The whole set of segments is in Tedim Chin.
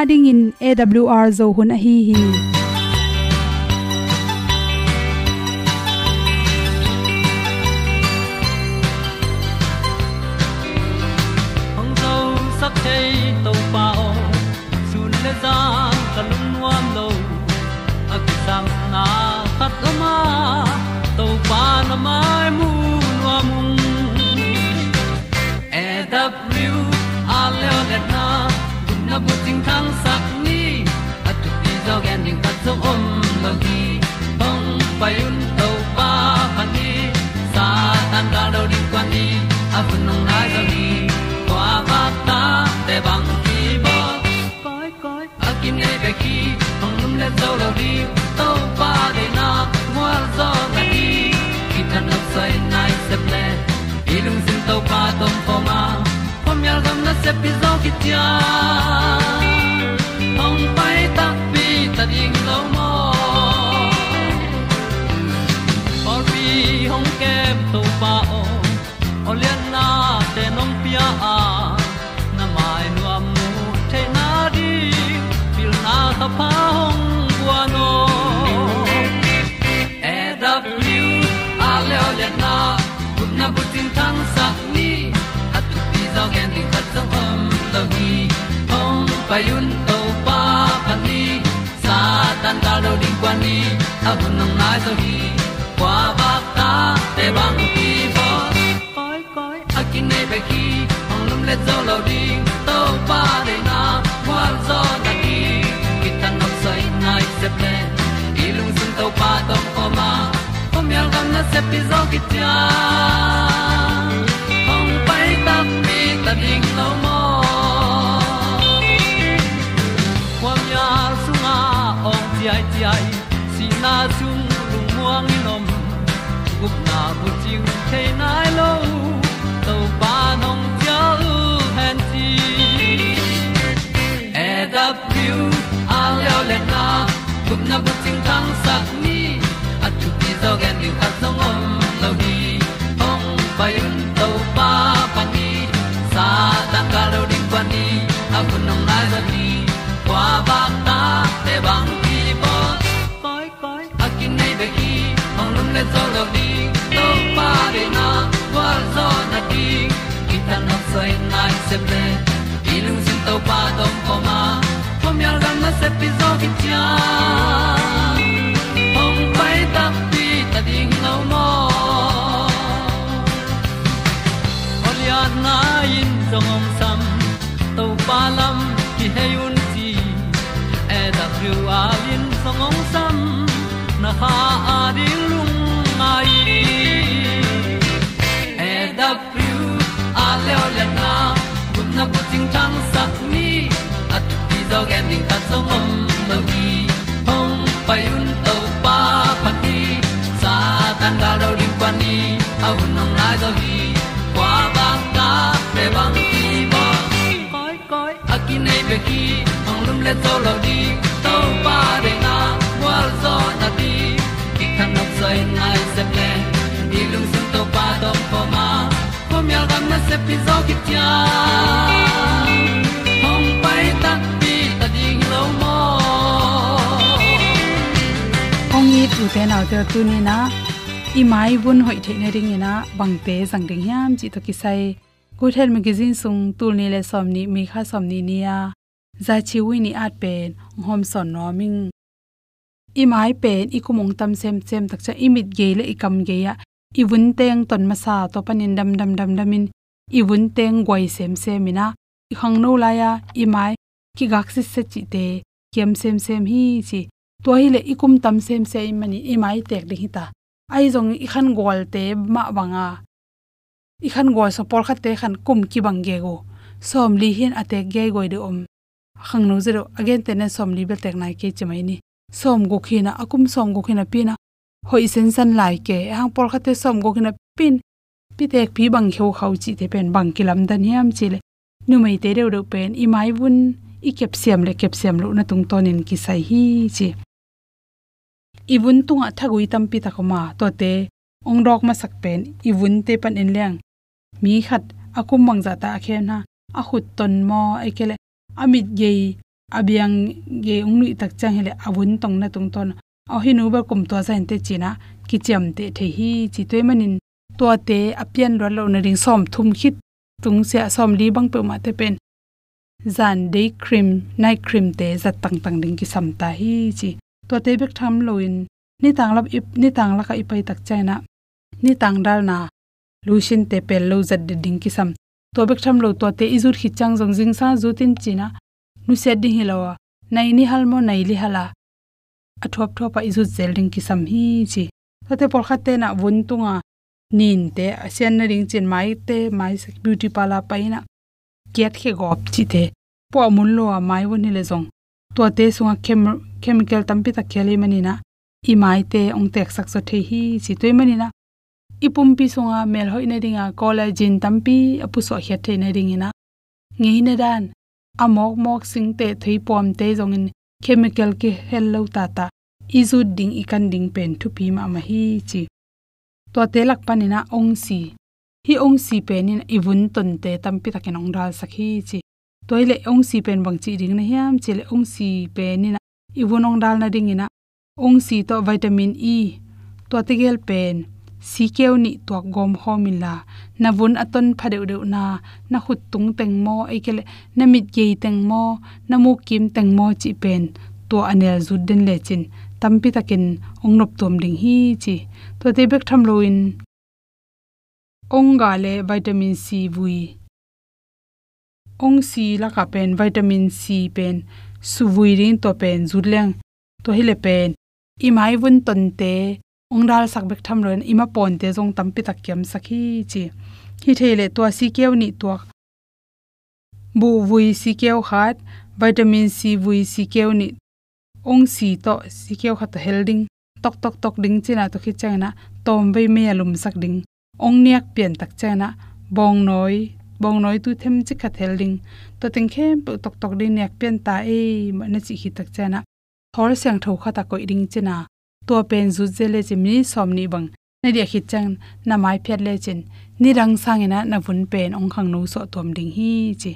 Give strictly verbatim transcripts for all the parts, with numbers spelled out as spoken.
Adingin A W R Zo hun ahi hi. Hong zosak thei Topa aw, sun le zan ka lungnuam lo, a kisangna khat lo ma, Topa na mai mu nuam ung. A W R leo le na, gupna bu cingthang sak ni, a thupi zaw gen ding khat zong om lo hi. Hong pai un Topa phat ni, Satan gal do ding kuan ni, a hun hong nai zaw hi. Kua vak ta te bang ki bawl. Koi, koi, a kinei bek hi, hong lum le zo lo ding, Topa deihna gualzawhna ding, kithanuam soi nai sep le, i lungsim Topa tawh om khawm a, khuamial gam nasep hi zaw kician, hong pai takpi ta ding lo maw. Pawlpi hong kem Topa aw, aw liannate nong pia a, na mai nuam mu theihna ding, pilna thapha hong guan aw. A W R leo lianna, gupna bu cingthang sak ni, a thupi zaw gen ding khat zong om lo hi. Hong pai un Topa phat ni, Satan gal do ding kuan ni, a hun hong nai zaw hi. Kua vak ta te bang ki bawl. Koi, koi, a kinei bek hi, hong lum le zo lo ding, Topa deihna gualzawhna ding, kithanuam soi nai sep le, i lungsim Topa tawh om khawm a, khuamial gam nasep hi zaw kician, hong pai takpi ta ding lo maw. Khuamial sungah awng ciaiciai, sihna sung lungmuang in om, gupna bu cing thei nai lo, Topa nong cial hen ci. A W R leo lianna, gupna bu cingthang sak ni, a thupi zaw gen ding khat zong om lo hi. Hong pai un Topa phat ni, Satan gal do ding kuan ni, a hun hong nai zaw hi. Kua vak ta te bang ki bawl. Koi, koi, a kinei bek hi, hong lum le zo lo ding, Topa deihna gualzawhna ding, kithanuam soi nai sep le, i lungsim Topa tawh om khawm a, khuamial gam nasep hi zaw kician, hong pai takpi ta ding lo maw. Aw lianna in zong hong sam, Topa lam kihei un ci, A W R in zong hong sam, na kha a ding lungngai. A W R leo lianna, gupna bu cingthang sak ni, a thupi zaw gen ding khat zong om lo hi. Hong pai un Topa phat ni, Satan gal do ding kuan ni, a hun hong nai zaw hi. Kua vak ta te bang ki bawl. Koi, koi, a kinei bek hi, hong lum le zo lo ding, Topa deihna gualzawhna ding, kithanuam soi nai sep le, i lungsim Topa tawh om khawm a, khuamial gam nasep hi zaw kician, hong pai takpi ta ding lo maw. Hong it ute naute aw, tuni-in ah i mai vun hoih theih nadingin ah bangte zang ding hiam cih tawh kisai Good Health Magazine sung tul nih le sawmnih, May kha sawmnih ni-a Za Chi Wi nih at pen hong hawmsawn nuam ing. I mai pen i kum hong tam semsem tak ciang i mit gei le i kam gei-ah i vun teng ton masa tawh panin damdam damdamin i vun teng guai semsem in ah, i khangno lai-a i mai kigak sitset cihte kiam semsem hi ci. Tua hileh i kum tam semsem ahih manin i mai tek ding hi ta. Ahi zongin i khan gualte mah bang a, i khan gual sung pawlkhatte khan kum kibang gegu, sawmli hi-in a tek geiguai deuh om. A khangno zia deuh, a gente nen sawmli bel tek nai kei ci mai ni. Sawmguk hi-in ah, a kum sawmguk hi-in ah pi-in ah hoih sensan lai kei. Ahang pawlkhatte sawmguk hi-in ah pi-in, pi tek pi bang kheukhau cihte pen bang kilamdan hiam cih leh, numeite deuhdeuh pen i mai vun i kepsiam le kepsiam lohna tungtawnin kisai hi ci. I vun tungah thagui tampi tak om a, tuate hong dawk masak pen i vunte panin leng, mi khat a kum bangzah ta a khem na, a khut ton maw, ahih kei leh a mit gei a biang gei hong nuih tak ciang hileh a vun tongna tungtawn, "Aw, hih nu bel kum tua zah inteh," ci-in ah kiciamteh thei hi ci. Tua ahih manin tuate a pian luat loh nading sawmthum khit tung sia, sawmli bang peuhmahte pen zan day cream, night cream te zat tangtang ding kisam ta hi ci. Tuate bek tham loin nitang lak i, nitang lakah i pai tak ciangin ah nitang dalna lotion te pel lo zat det ding kisam. Tua bek tham lo, tuate i zut khit ciang zong zingsang zut in ci-in ah nusiat ding hi lo a, nai nih hal maw, nai li hal a, a thuapthuap a i zut zel ding kisam hi ci. Tuate pawlkhatte in ah vun tunga ninte a sian nading ci-in maite, mai beauty parlour pai-in ah kiat khia gawp cihte puah mun lo a mai vun hileh zong tuate sungah chem-, chemical tampi tak khel ahih manin ah i maite hong teksak zaw thei hi ci. Tua ahih manin ah i pumpi sunga mel hoih nadinga collagen tampi a pusuah khiat theih nadingin ah ngeina dan, a mawkmawk singteh thei puamte zongin chemical kihel lo tata i zut ding, i kan ding pen thupi mahmah hi ci. Tuate lak panin ah ongsi, hih ongsi pen in i vun tonte tampi takin hong dalsak hi ci. Tua hileh ongsi pen bang cih ding na hiam cih leh, ongsi pen in ah i vun hong dal nadingin ah ongsi tawh vitamin E, tuate gel pen sikeu nih tuak gawm khawm inla, na vun a ton pha deuhdeuhna, na khut tung teng maw, ahih kei leh na mit gei teng maw, na muk kim teng maw cih pen tua a nel zut den lecin tampi takin hong noptuam ding hi ci. Tuate bek tham loin ongga le vitamin C vui, ongsi lakah pen vitamin C pen suvui ding, tua pen zut leng, tua hileh pen i mai vun tonte hong dalsak bek tham loin i mapawnte zong tampi tak kiamsak hi ci. Hi thei leh tua sikeu nih tuak, buhvui sikeu khat, vitamin C vui sikeu nih, ongsi tawh sikeu khat tawh hel ding, toktok tok ding ci-in ah, tua khit ciangin ah tawmvei mei a lumsak ding. Ong niak pian tak ciangin ah bawngnawi, bawngnawi tu themcik khat hel ding. Tua teng khempeuh toktok ding, niak pian ta ei mah na cih khit tak ciangin ah thawl siangtho khat a koih ding ci-in ah, tua pen zut zel lecin minit sawmnih bang na diah khit ciangin na mai phiat lecin nidang sangin ah na vun pen hong khangno suah tuam ding hi ci.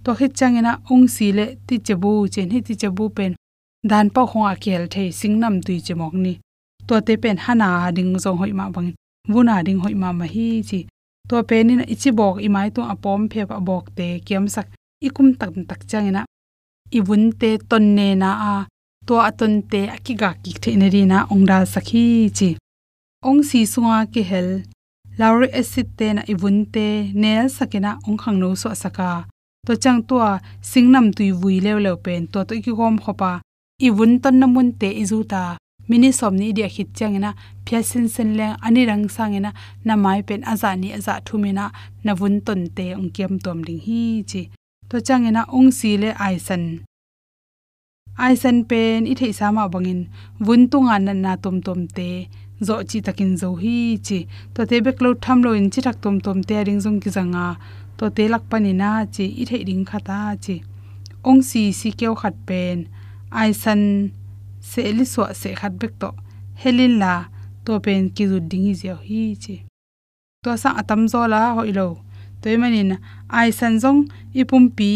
Tua khit ciangin ah ongsi le ticebu ci-in, hih ticebu pen dan pauh khawngah kihel thei singnamtui cimawk ni. Tuate pen han a ding zong hoih mah bangin vun a ding hoih mahmah hi ci. Tua pen in ah i cibawk, i mai tungah a pawm phep a bawkte kiamsak, i kum taktak ciangin ah i vunte ton nena a, tua a tonte a kigak kik theih nadingin ah hong dalsak hi ci. Ongsi sunga kihel lauric acid te in ah i vunte nelsakin ah hong khangno suahsak a, tua ciang tua singnamtui vui leuleu pen tua tawh i kigawmkhop a, i vun tonna munte i zut a, minit sawmnih i diah khit ciangin ah phiat sinsen leng, a nidang sangin ah na mai pen a zah nih a zah thumin ah na vun tonte hong kiamtuam ding hi ci. Tua ciangin ah ongsi le aisan, aisan pen i theihsa mah bangin vun tunga natna tuamtuamte zawh cihtakin zo hi ci. Tuate bek lo tham loin cithak tuamtuamte a ding zong kizang a, tuate lak panin ah ci, i theih ding khat a ci, ongsi sikeu khat pen aisan sehli suah seh khat bek tawh hel inla, tua pen kizut ding hi ziau hi ci. Tua sang a tamzaw la hoih lo. Tua ahih manin aisan zong i pumpi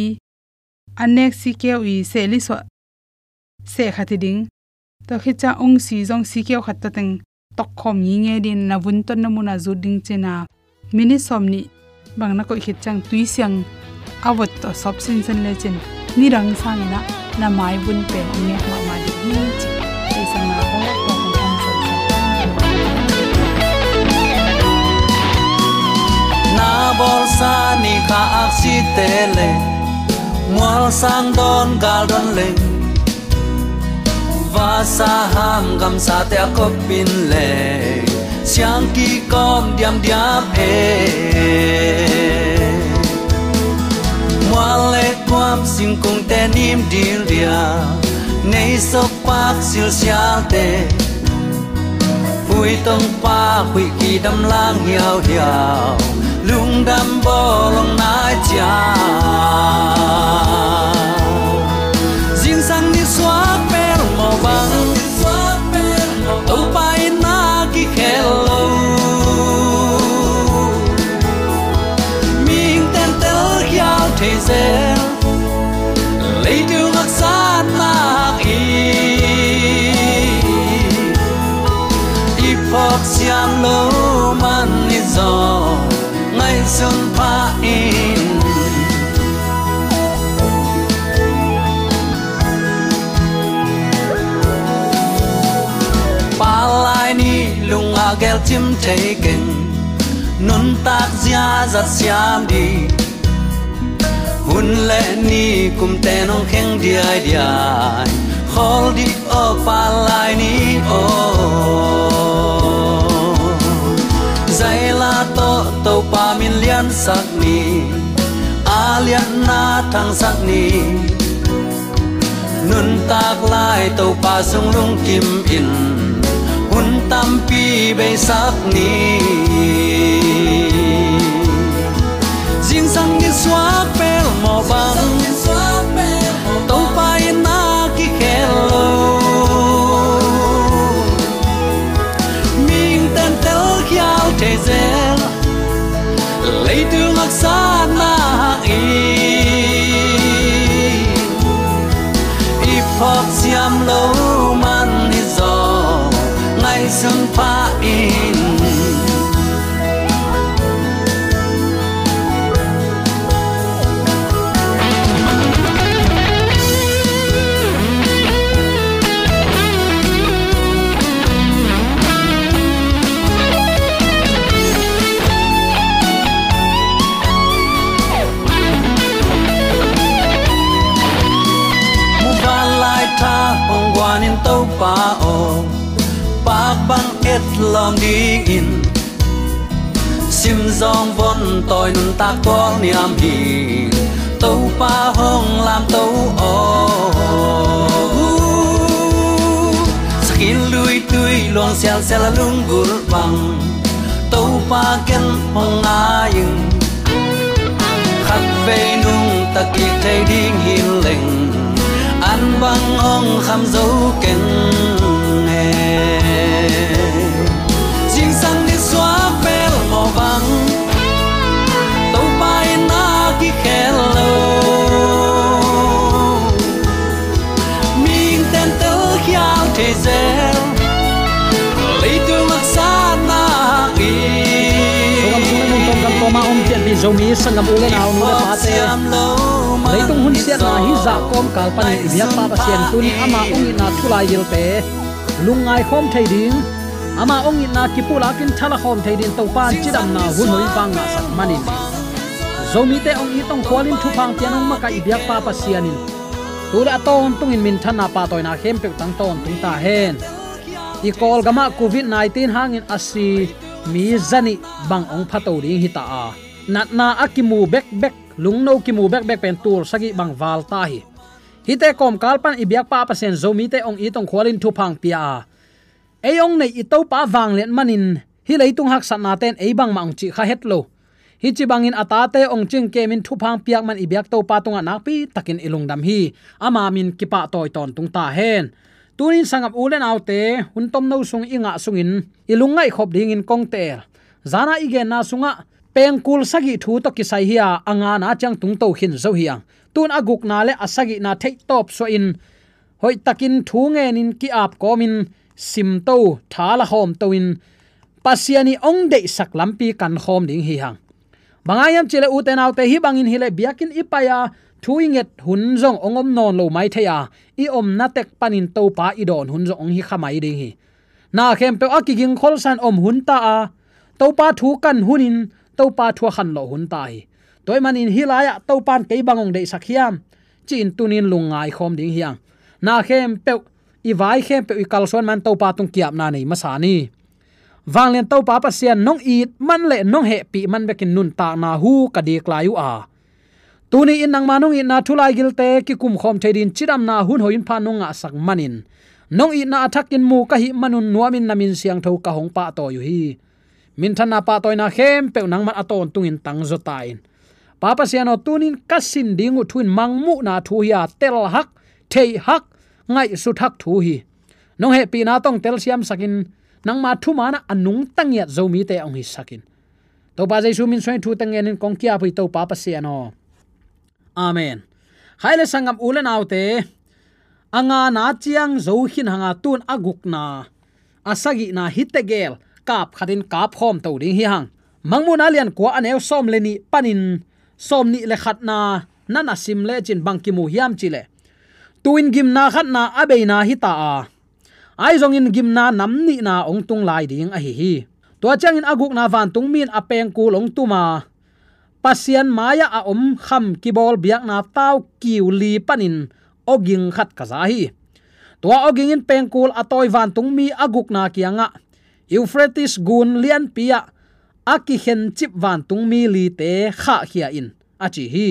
an nek sikeu i sehli suah seh khat hi ding. Tua khit ciang ongsi zong sikeu khat tua teng tokkhawm ngingei dingin na vun tonna munah zut ding ci-in ah, minit sawmnih bang na koih khit ciang tui siang a vot tawh sawp sinsen lecin nidang sangin ah na mai vun pen hong nek mahmah ding hi ci. Theihsakna aw, tua hong hong sawlsak. Na bawlsa ni kha aksite le, mual sang dawn gal dawn leng, vasa ham gamsate a kop in le, siang kikawm diamdiam e. Mual le kuam singkungte nim dildial, nei sokpak silsialte, huih tongpak huih kidam lang hiauhiau, lungdam bawlong nai ciang. Zingsang nisuak bel mawh bang, Topa in na kikhel lo. Mihing tentel khial thei zel, leitung haksa Siam lo man i zaw ngaihsun pha in. Palai ni lung a gelcim thei keng, nuntak ziazat siam dih. Hun le ni kumte nong kheng diaidiai, khawl dih aw palai ni aw. Zaila tawh Topa min liansak ni, a lianna thangsak ni. Nuntak lai Topa sung lungkim in, hun tampi beisak ni. Zingsang ni suak pel mawh bang, Topa in a kikhel lo. Mihingte'n telkhial thei zel, leitung haksatna hang i, i phawk siam lo man hi zaw ngaihsun pha in. Muvanlai lai tha hong guan in Topa aw, pak bang et lawm dingin, sim zawng von tawi nuntak tual niam hi. Topa hong lamto aw, sakin luitui luang sialsial a lunggulh bang, Topa ken hong ngai ing. Khatvei nungta kik thei ding hi leng, an bang hong kham zo keng e. Zingsang ni suak pel mawh bang, Topa in a kikhel lo. Mihingte'n telkhial thei zel, leitung haksatna hang i. Program sung le mun tawm kan tawm a om pianpih Zomi sanggam u le nau, nu le pate, leitung hun siatna hih zah kawmkal panin i biakpa Pasian tuni ama hong itna thu laigilte lungngai khawm thei ding, ama hong itna kipulakin thala khawm thei ding Topa'n cidamna hun hoih vang ngahsak manin, Zomite hong it hong khualin thupha hong pia nong makaih i biakpa Pasian in tu le a tawntungin minthanna pahtawina khempeuh tang tawntung ta hen. I Kawlgamah covid nineteen hangin a si mi zanih bang hong phato ding hi ta a, natna a kimu bekbek, lungno kimu bekbek pen tul sagih bang val ta hi. Hihte kawmkal pan i biakpa Pasian Zomite hong it hong khualin thupha hong pia a, ei hong neih i Topa vanglian manin hih leitung haksatnate in ei bangmah hong cih kha het lo. Hih ci bangin a tate hong cingkemin thupha hong piak man i biak Topa tungah nakpi takin i lungdam hi. Ama min kipahtawi tawntung ta hen. Tunin sanggam u le naute, hun tomno sung i ngah sungin i lungngaih khop dingin kong teel. Zana i genna sungah pengkul sagih thu tawh kisai hi a, a ngana ciang tungto khin zo hi hang. Tun a gukna le a sagihna theihtawp suahin hoihtakin thu ngenin ki-ap kawmin simto, thala khawmto in Pasian i hong deihsak lampi kan khawm ding hi hang. Bang hang hiam cihleh ute naute, hih bangin hileh biakinn i pai a, thu i nget hun zong hong om nawn lo mai thei a, i omna tek panin Topa i dawn hun zong hong hi kha mai ding hi. Na khempeuh a kiging kholsan om hun ta a, Topa thu kan hunin Topa thu a khanlawh hun ta hi. Tua ahih manin hih lai-ah Topa'n kei bang hong deihsak hiam ci-in tunin lungngai khawm ding hi hang. Na khempeuh, i vai khempeuh i kalsuan man Topa tung ki-apna nei masa ni. Vanglian Topa Pasian, nong it man le nong hehpih man bekin nuntakna hu ka dik lai uh a, tuni in nangma nong itna thu laigilte kikum khawm thei dingin cidamna hun hoih hun pha nong ngahsak manin, nong itna a thakin mu ka hih manun nuamin na min siangtho ka hong pahtawi uh hi. Minthanna pahtawina khempeuh nangman a tawntungin tangzaw ta in. Pa Pasian aw, tunin ka sin ding uh thu in mangmuhna thu hi a, telhak, theihak, ngaihsuthak thu hi. Nong hehpihna tawh hong telsiamsakin, nangma thumanah a nungta ngiat Zomite hong hisakin, Topa Jesu min suangin thu teng ngenin kong ki-ap uh hi, Topa Pasian aw. Amen. Khai le sanggam u le naute, a ngana ciang zo khin hanga, tun a gukna, a sagihna, hih tegel kap khatin kap khawm to ding hi hang. Mangmuhna lian kua a neu sawm le nih panin sawm nih le khatna na na sim lecin bang kimu hiam cihleh, tu-in gimna khatna a beina hi ta a, ahi zongin gimna nam nihna hong tung lai ding ahi hi. Tua ciangin a gukna vantungmi in a pengkul hong tum a, Pasian mai-ah a om kham kibawl biakna tau kiu li panin awging khat ka za hi. Tua awging in pengkul a tawi vantungmi a gukna kiangah Euphrates gun lianpi ah a kikhencip vantungmi lite khahkhia in, a ci hi.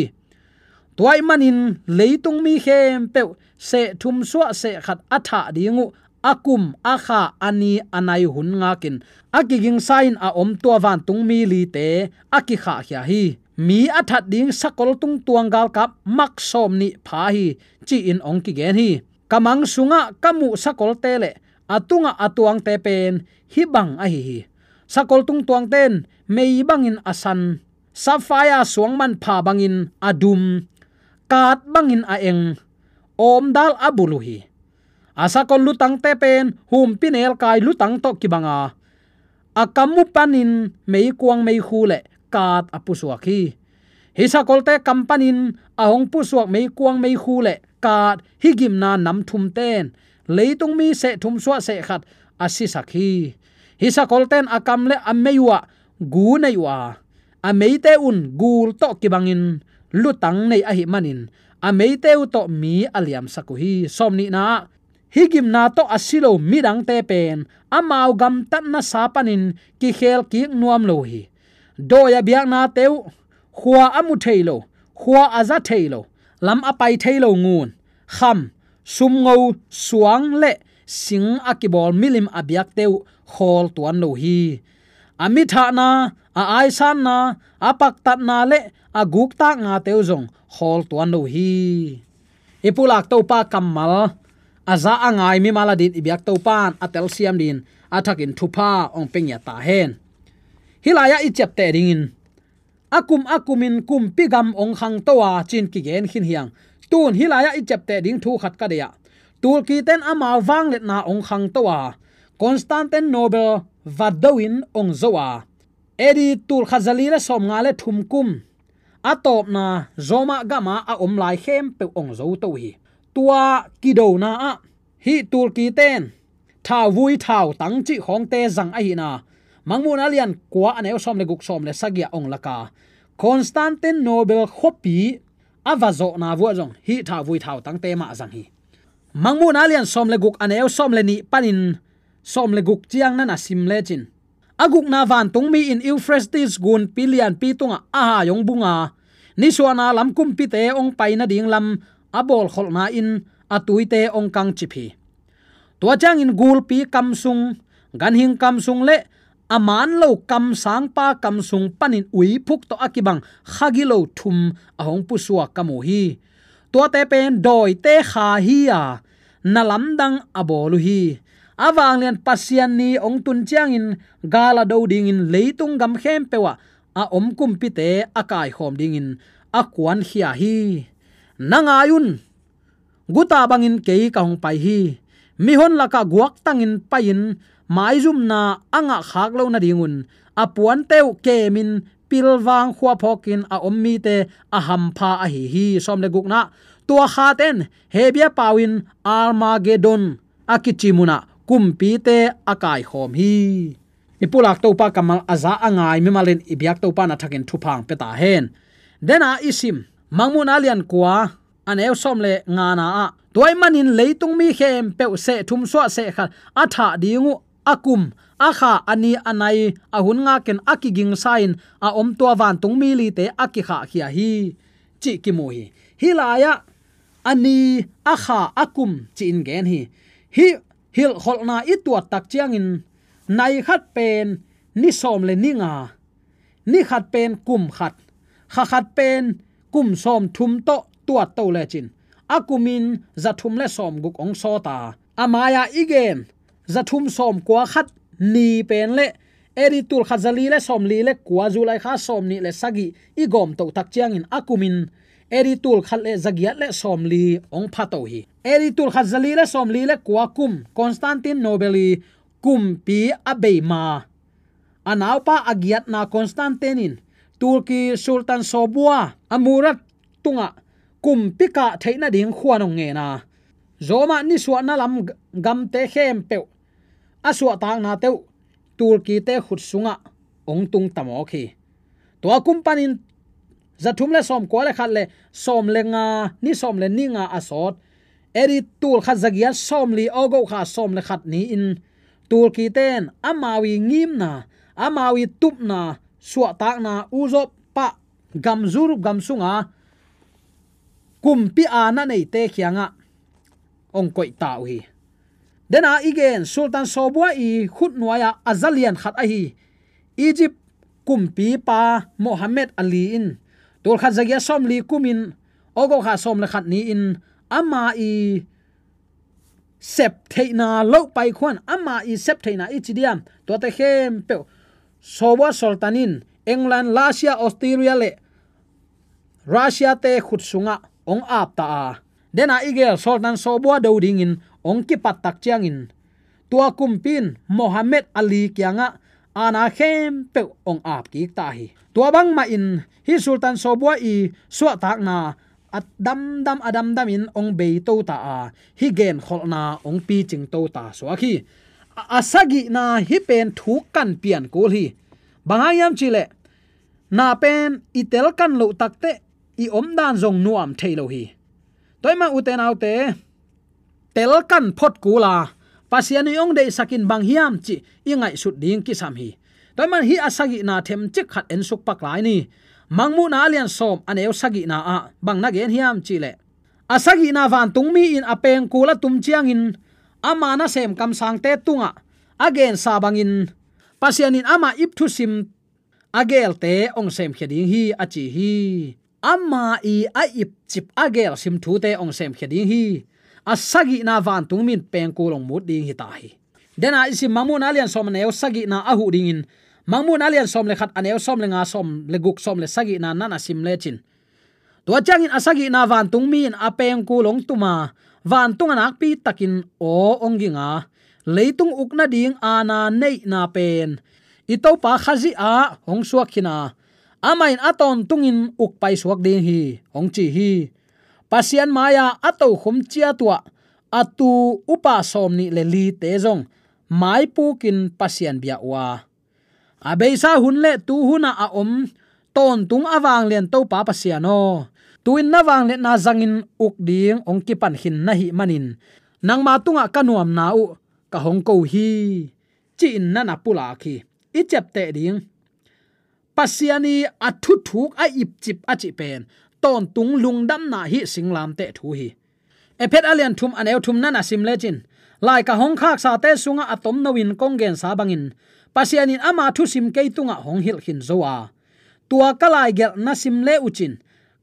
Tua ahih manin leitung mi khempeuh seh thum suah seh khat a thah ding uh a kum, a kha, a ni, a nai hun ngakin a kigingsa in a om tua vantungmi lite a kikhahkhia hi. Mi a that ding sakol tungtuang galkap mak sawm nih pha hi, ci-in hong kigen hi. Ka mang sungah ka muh sakolte le a tungah a tuangte pen hih bang ahi hi. Sakol tungtuangte in mei bangin a san, sapphire suang manpha bangin a dum, kaat bangin a eng, awmdal a bul uh hi. A sakol lutangte pen humpinelkai lutang tawh kibang a, a kam uh panin meikuang meikhu le kaat a pusuak hi. Hih sakolte kam panin a hong pusuak meikuang meikhu le kaat, hih gimna nam thumte in leitung mi seh thum suah seh khat a sisak hi. Hih sakolte in a kam le a mei uh ah gu nei uh a, a meite un gul tawh kibangin lutang nei ahih manin a meite uh tawh mi a liamsak uh hi. Sawm nihna ah, hih gimna tawh a si lo midangte pen amau gamtatna sa panin kikhel kik nuam lo hi. Dawi a biaknate uh, khua a mu thei lo, khua a za thei lo, lam a pai thei lo ngun, kham, sumngo, suang le sing a kibawl milim a biakte uh khawl tuan lo hi. A mithahna, a aisanna, a paktatna le a guktaknate uh zong khawl tuan lo hi. I pulak Topa kammal a za a ngai mimal a din i biak Topa in a telsiam din a thakin thupha hong pia ngiat ta hen. Hih lai-ah i ciapteh dingin a kum a kumin kumpi gam hong khangto a, ci-in kigen khin hi hang. Tun hih lai-ah i ciapteh ding thu khat ka deih a, Tulkite in amau vangliatna hong khangto a, Constantinople va do-in hong zo a, A D tul khat za li le sawmnga le thum kum a tawpna Roma gam ah a om lai khempeuh hong zoto hi. Tua kidona ah hih Tulkite in thauvui thautang cih khawngte zang ahihna Mangmuhna lian kua a neu sawm le guk, sawm le sagih ah hong lak a, Constantinople khuapi a va zawhna vuah zong hih thauvui thautangte mah zang hi. Mangmuhna lian sawm le guk a neu sawm le nih panin sawm le guk ciang na na sim lecin, a gukna vantungmi in Euphrates gunpi lianpi tungah a hai hong bung a, nisuahna lam kumpite hong pai nading lam a bawlkholhna in a tuite hong kangcip hi. Tua ciangin gulpi kam sung, ganhing kam sung le a man lo kamsangpa kam sung panin uiphuk tawh a kibang khagilo thum a hong pusuak ka mu hi. Tuate pen dawite kha hi a, na lamdang a bawl uh hi. A vanglian Pasian ni hong tun ciangin gal a do dingin leitung gam khempeuh ah a om kumpite a kaikhawm dingin a kuankhia hi. Na ngai un, guta bangin kei ka hong pai hi. Mihon lakah guaktangin pai-in maizumna a ngahkhak loh nadingun a puante uh kemin pilvang khuaphawkin a om mite a hampha ahi hi. Sawm le gukna, tua khate in Hebru pau-in Armagedon a kici munah kumpite a kaikhawm hi. I pulak Topa kammal a za a ngai mimal in i biak Topa na thakin thupha hong pia ta hen. Dena i sim Mangmuhna lian kua a neu sawm le ngana ah, tua ahih manin leitung mi khempeuh seh thum suah seh khat a thah ding uh a kum, a kha, a ni, a nai, a hun ngakin a kigingsa in a om tua vantungmi lite a kikhahkhia hi, cih kimu hi. Hih lai-ah a ni, a kha, a kum ci-in gen hi. Hih hilhkholhna i tuat tak ciangin nai khat pen ni sawm le ni nga, ni khat pen kum khat, kha khat pen kum sawmthum tawh tuat to lecin a kumin za thum le sawmguk hong sawt a, a mai-ah i gen za thum sawmkua khat ni pen le A D tul khat za li le sawmli le kua, July kha sawmnih le sagih i gawm toh tak ciangin a kumin A D tul khat le za giat le sawmli hong pha to hi. A D tul khat za li le sawmli le kua kum Constantinople i kumpi a beima a naupa a giatna Constantine in Turkey Sultan Sobua a Murat tungah kumpi kah theih nading khuan hong ngen a, Roma nisuahna lam gamte khempeuh a suahtaknate uh Turkey-te khut sungah hong tung tamawk hi. Tua kum panin zathum le sawmkua le khat le sawm le nga, ni sawm le ni nga a sawt, A D tul khat zagiat sawmli August kha sawm le khat ni-in Turkey-ten amau i ngimna, amau i tupna, suahtakna, Europe pah gam, Europe gam sunga kumpi aana neite kiangah hong koih ta uh hi. Dena i gen Sultan Sobua i khutnuai-ah a zalian khat ahi Egypt kumpipa Mohammed Ali in tul khat zagiat sawmli kumin August kha sawm le khat ni-in ama i sep theihna loh paikhuan, ama i sep theihna i ci diam, tuate khempeuh Sobua Sultan in England, Russia, Austria le Russia-te khut sungah hong ap ta a, dena i gel Sultan Sobua do dingin hong kipat tak ciangin tua kumpi in Mohammed Ali kiangah aana khempeuh hong ap kik ta hi. Tua bangmahin hih Sultan Sobua i suahtakna a damdam a damdamin hong beito ta a, hih genkholhna hong picingto ta suak hi. A, a sagihna hih pen thuk kan pian kul hi. Bang hang hiam cihleh, na pen i telkan loh takteh i omdan zong nuam thei lo hi. Tua ahih man ute naute, telkan phot kul a, Pasian in hong deihsak in bang hiam cih i ngaihsut ding kisam hi. Tua ahih man hih a sagihna themcik khat ensuk pak lai ni. Mangmuhna a lian sawm a neu sagihna ah bang na gen hiam cihleh, a sagihna vantungmi in a pengkul a tum ciangin ama nasem kamsangte tungah a gensa bangin Pasian in ama ip thusim a gelte hong semkhia ding hi, a ci hi. Ama i a ipcip a gelsim thute hong semkhia ding hi. A sagihna vantungmi in pengkul hong mut ding hi ta hi. Dena i sim Mangmuhna a lian sawm a neu sagihna a huh dingin Mangmuhna a lian sawm le khat a neu sawm le nga, sawm le guk, sawm le sagihna na na sim lecin, tua ciangin a sagihna vantungmi in a pengkul hong tum a, vantung ah nakpi takin aw hong ging a, leitung uk nading aana neihna pen i Topa Khazih ah hong suak khin a, amah in a tawntungin uk paisuak ding hi, hong ci hi. Pasian mai-ah a tokhom ciat uh ah a tu upa sawmnih le lite zong maipukin Pasian bia uh a, a beisa hun le tu hunah a om tawntung a vanglian Topa Pasian aw, tu-in na vangliatna zangin uk ding hong kipan khin na hih manin nangma tungah ka nuamna uh ka hong ko hi, ci-in na na pulak hi. I ciapteh ding, Pasian i a thuthuk a ipcip a cih pen tawntung lungdamna hih singlamteh thu hi. Efesa a lian thum a neu thum na na sim lecin, lai ka hong khaksate sungah a tomno in kong gensa bangin Pasian in ama thusim kei tungah hong hilh khin zo a, tua ka laigelh na sim le uhcin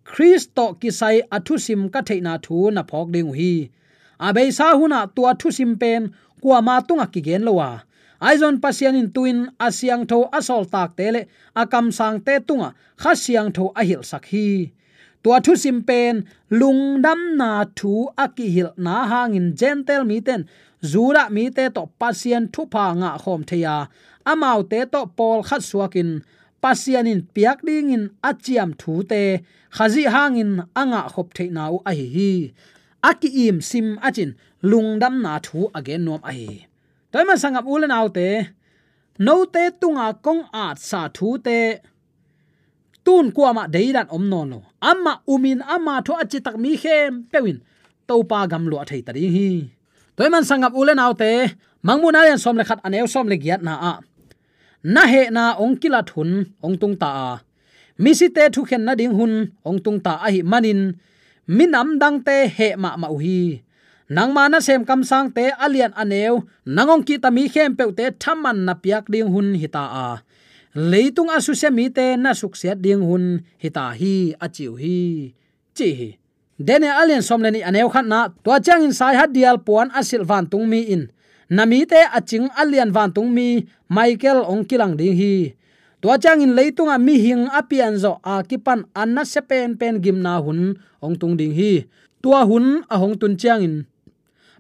Khrist tawh kisai a thusim ka theihna thu na phawk ding uh hi. A beisa hunah tua thusim pen kuama tungah kigen lo a, ahi zongin Pasian in tu-in a siangtho a sawltakte le a kamsangte tungah Kha Siangtho a hilhsak hi. Tua thusim pen lungdamna thu a kihilhna hangin Gentile mite in Judah mite tawh Pasian thupha ngahkhawm thei a, amaute tawh pawlkhat suakin Pasian in piak dingin a ciam thute Khazih hangin a ngahkhop theihna uh ahi hi. A ki-im sim a cin lungdamna thu a gen nuam ahi hi. Tua ahih man sanggam u le naute, note tunga kong atsa thute tun kuamah deidan om nawn lo. Amah umin ama thu a citak mi khempeuh in Topa gam luah thei ta ding hi. Tua ahih man sanggam u le naute, Mangmuhna a lian sawm le khat a neu sawm le giatna ah na hehna hong kilat hun hong tung ta a, misite thukhen nading hun hong tung ta ahih manin minam dangte heh mahmah uh hi. Nangma nasem kamsangte a lian a neu nang hong kihta mi khempeuhte thaman na piak ding hun hi ta a, leitung a susia mite na suksiat ding hun hi ta hi, a ci uh hi, ci hi. Daniel a lian sawm le nih a neu khatna, tua ciangin saihat dial puan a silh vantungmi in na mite a cing a lian vantungmi Michael hong kilang ding hi. Tua ciangin leitungah mihing a pianzawh a kipan a nasia penpen gimna hun hong tung ding hi. Tua hun a hong tun ciangin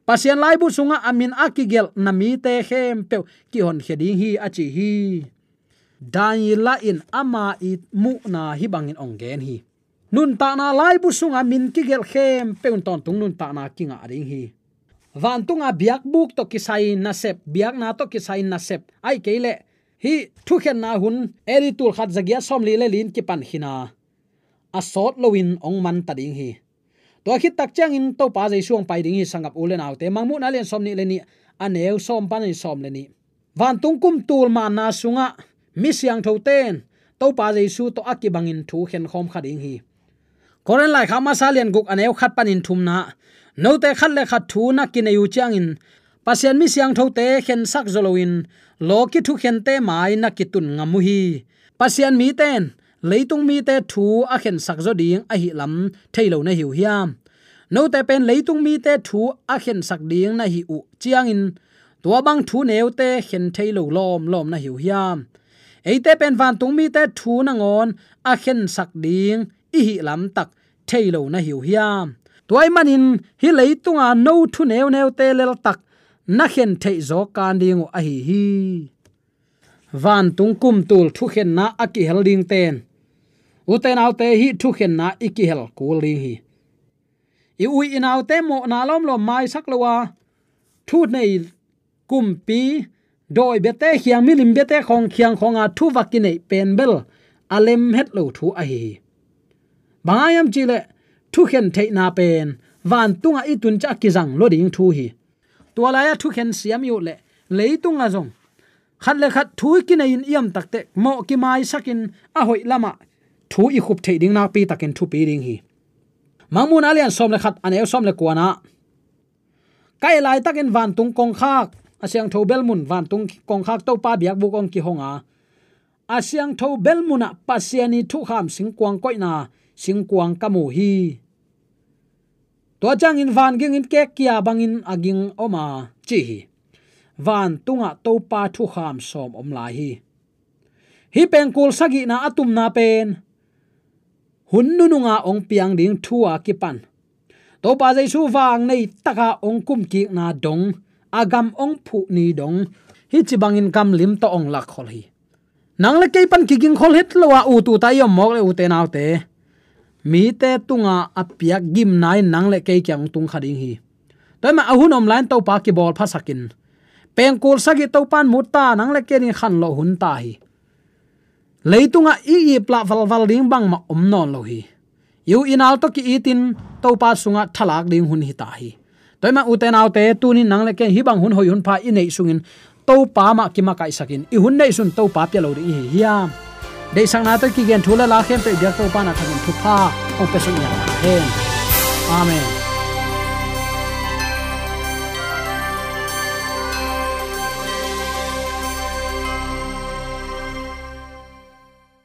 Pasian laibu sungah a min a kigelh na mite khempeuh kihonkhia ding hi, a ci hi. Daniel in ama i muhna hih bangin hong gen hi. Nuntakna laibu sunga min kigelh khempeuh in tawntung nuntakna kingah ding hi. Vantunga biakbuk tawh kisai nasep, biakna tawh kisai nasep, ahih kei leh hih thukhenna hun A D tul khat zagiat sawmli le li in kipan khin a, a sawt loin hong man ta ding hi. Tua khit tak ciangin Topa Jesu hong pai ding hi. Sanggam u le naute, Mangmuhna lian sawmnih le nih, a neu sawm panin sawm le nih. Vantung kum tul manna sungah mi siangthote in Topa Jesu tawh a kibangin thu khenkhawm kha ding hi. Korin laikhak masa lian guk, a neu khat panin thumna, note khat le khat thu na kinei uh ciangin Pasian mi siangthote khensak zaw loin lawki thukhente mai na kitun ngam uh hi. Pasian mite in leitung mite thu a khensak zaw ding ahih lam thei lo na hi uh hiam? Note pen leitung mite thu a khensak ding na hih uh ciangin tua bang thu neute khen thei lo lawmlawm na hi uh hiam? Eite pen vantung mite thu nangawn a khensak ding i hih lamtak thei lo na hi uh hiam? Tua ahih manin hih leitunga no thu neuneute leltak na khen theih zawk kan ding uh ahi hi. Vantung kum tul thukhenna a kihel dingte in, ute naute, hih thukhenna i kihel kul ding hi. I u i naute mawhna lawmlawm maisak lo a, thu nei kumpi, dawi biate khiang, milim biate khawng khiang khawnga thu va kineih pen bel a lem het lo thu ahi hi. Bang hang hiam cih leh thukhen theihna pen vantungah i tun ciang a kizang lua ding thu hi. Tua lai-ah thukhen siam i uh leh leitungah zong khat le khat thu i kinei-in i om tak teh mawh kimaisakin a hoih lamah thu i khup theih ding nakpi takin thupi ding hi. Mangmuhna lian sawm le khat, a neu sawm le kuana, ka et laitakin vantung kongkhak, a siangtho belmun, vantung kongkhak Topa biakbuk hong kihong a, a siangtho belmunah Pasian ii thukham singkuang koihna singkuang ka mu hi. Tua ciangin van ging in kek kia bangin a ging om a, ci hi. Vantungah Topa thukham sawm om lai hi. Hih pengkul sagihna a tumna pen hun nununga hong piang ding thu a kipan Topa Jesu vang nei taka hong kumkikna dong, a gam hong phuh ni dong, hih ci bangin gamlim tawh hong lakkhol hi. Nang le kei pan kigingkhol het lo a, ut ut a i om mawk le, ute naute, mite tunga a piak gimna in nang le kei kiang hong tung kha ding hi. Tua ahih manin a hun om lai-in Topa kibawlphasakin, pengkul sagih Topa in mu ta, nang le kei ding khanlawh hun ta hi. Leitungah i iplah valval ding bangmah om nawn lo hi. I u i nau tawh ki-itin Topa sungah thalak ding hun hi ta hi. Tua ahih manin ute naute, tuni-in nang le kei hih bang hun hoih hun pha i neih sungin Topa mah kimakaihsakin, i hun neihsun Topa pia lo ding i hi hiam? Deihsakna tawh kigen thu le la khempeuh biak Topa in a thakin thupha hong pia suk niam hen. Amen.